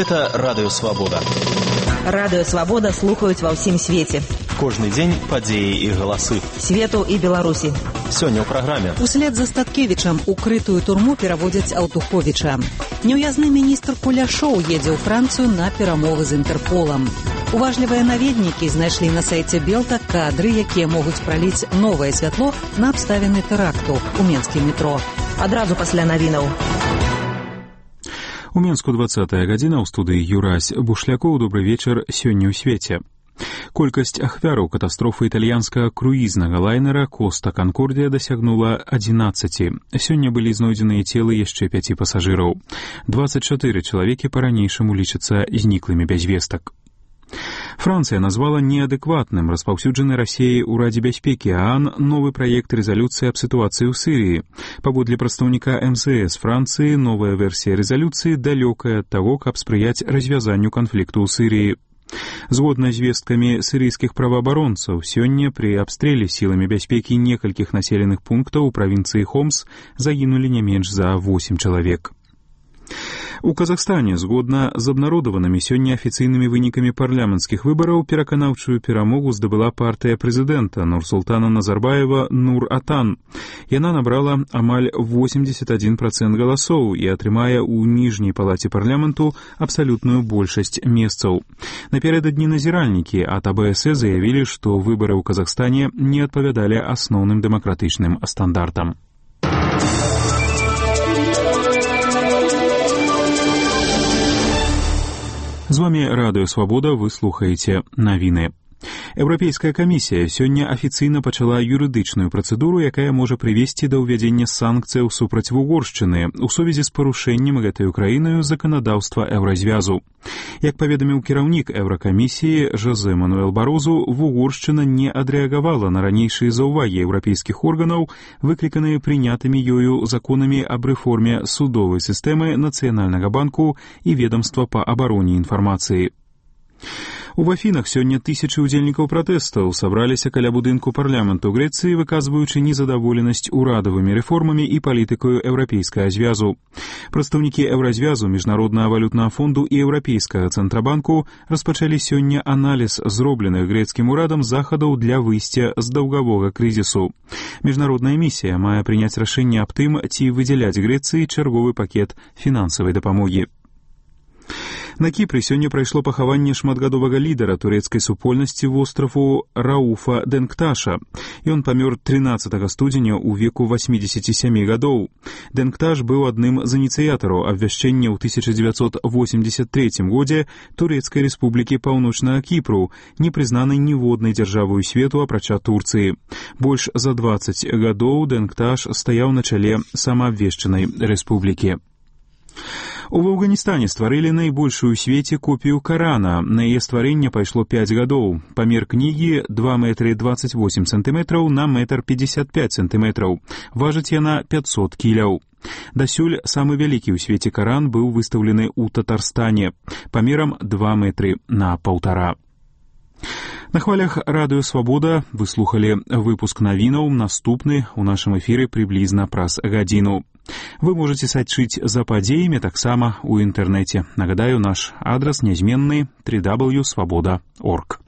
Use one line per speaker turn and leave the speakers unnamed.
Гэта Радыё Свабода.
Радыё Свабода слухаюць ва ўсім свеце.
Кожны дзень падзеі і галасы.
Свету і Беларусі.
Сёння ў праграме.
Услед за Статкевічам укрытую турму пераводзяць Аўтуховіча. Неўязны міністр Куляшоў едзе ў Францыю на перамовы з Інтэрполам. Уважлівыя наведнікі знайшлі на сайце Белта кадры, якія могуць праліць новае святло на абставіны тэракту ў менскім метро.
Адразу пасля навінаў.
У Менску 20-я гадзіна, ў студыі Юрась Бушлякоў. Добры вечар. Сёння ў свеце. Колькасць ахвяраў катастрофы італьянскага круізнага лайнера «Коста Канкордія» дасягнула 11. Сёння былі знойдзеныя целы яшчэ 5 пасажыраў. 24 чалавекі па-ранейшаму лічацца зніклымі без вестак. Францыя назвала неадэкватным распаўсюджаны Расіяй у Радзе бяспекі ААН новы праект рэзалюцыі аб сітуацыі ў Сірыі. Паводле прадстаўніка МЗС Францыі, новая версія рэзалюцыі далёкая ад таго, каб спрыяць развязанню канфлікту ў Сірыі. Згодна з звесткамі сірыйскіх праваабаронцаў, сёння пры абстрэле сіламі бяспекі некалькіх населеных пунктаў у правінцыі Хомс загінулі не менш за 8 чалавек. У Казахстане, згодна з абнародаванымі сёння афіцыйнымі вынікамі парламенцкіх выбараў, пераканаўчую перамогу здабыла партыя прэзідэнта Нурсултана Назарбаева «Нур-Атан». Яна набрала амаль 81% галасоў і атрымае ў ніжняй палаце парламенту абсалютную большасць месцаў. Напярэдадні назіральнікі ад АБС заявілі, што выбары ў Казахстане не адпавядалі асноўным дэмакратычным стандартам. З вами Радыё Свабода, вы слухаеце навіны. Еўрапейская камісія сёння афіцыйна пачала юрыдычную працэдуру, якая можа прывесці да ўвядзення санкцыяў супраць Вугоршчыны ў сувязі з парушэннем гэтай краінаю заканадаўства Еўразвязу. Як паведаміў кіраўнік Еўракамісіі Жозе Мануэл Барозу, Вугоршчына не адрэагавала на ранейшыя заўвагі еўрапейскіх органаў, выкліканыя прынятымі ёю законамі аб рэформе судовай сістэмы Нацыянальнага банку і ведамства па абароне інфармацыі. У Афінах сёння тысячы ўдзельнікаў пратэстаў сабраліся каля будынку парламенту Грэцыі, выказваючы незадаволенасць урадавымі рэформамі і палітыкаю Еўрапейскага звязу. Прадстаўнікі Еўразвязу, Міжнароднага валютнага фонду і Еўрапейскага цэнтрабанку распачалі сёння аналіз зробленых грэцкім урадам захадаў для выйсця з даўгавога крызісу. Міжнародная місія мае прыняць рашэнне аб тым, ці выдзяляць Грэцыі чарговы пакет фінансавай дапамогі. На Кіпры сёння прайшло пахаванне шматгадовага лідара турэцкай супольнасці востраву Рауфа Денкташа. Ён памёр 13 студзеня ў веку 87 гадоў. Денкташ быў адным з ініцыятараў абвяшчэння ў 1983 годзе Турэцкай рэспублікі Паўночнага Кіпру, не прызнанай ніводнай дзяржавай свету апрача Турцыі. Больш за 20 гадоў Денкташ стаяў на чале самаабвешчанай рэспублікі. У Афганістане стварылі найбольшую ў свеце копію Карана. На яе стварэнне пайшло 5 гадоў. Памер кнігі 2 метры 28 сантыметраў на метр 55 сантыметраў. Важыць яна 500 кіляў. Дасюль самы вялікі ў свеце Каран быў выстаўлены ў Татарстане памерам 2 метры на 1,5. На хвалях Радыё Свабода вы слухалі выпуск навінаў. Наступны ў нашым эфіры прыблізна праз гадзіну. Вы можете сачыць за падзеямі таксама ў інтэрнэце. Нагадаю, наш адрас нязменны www.swaboda.org.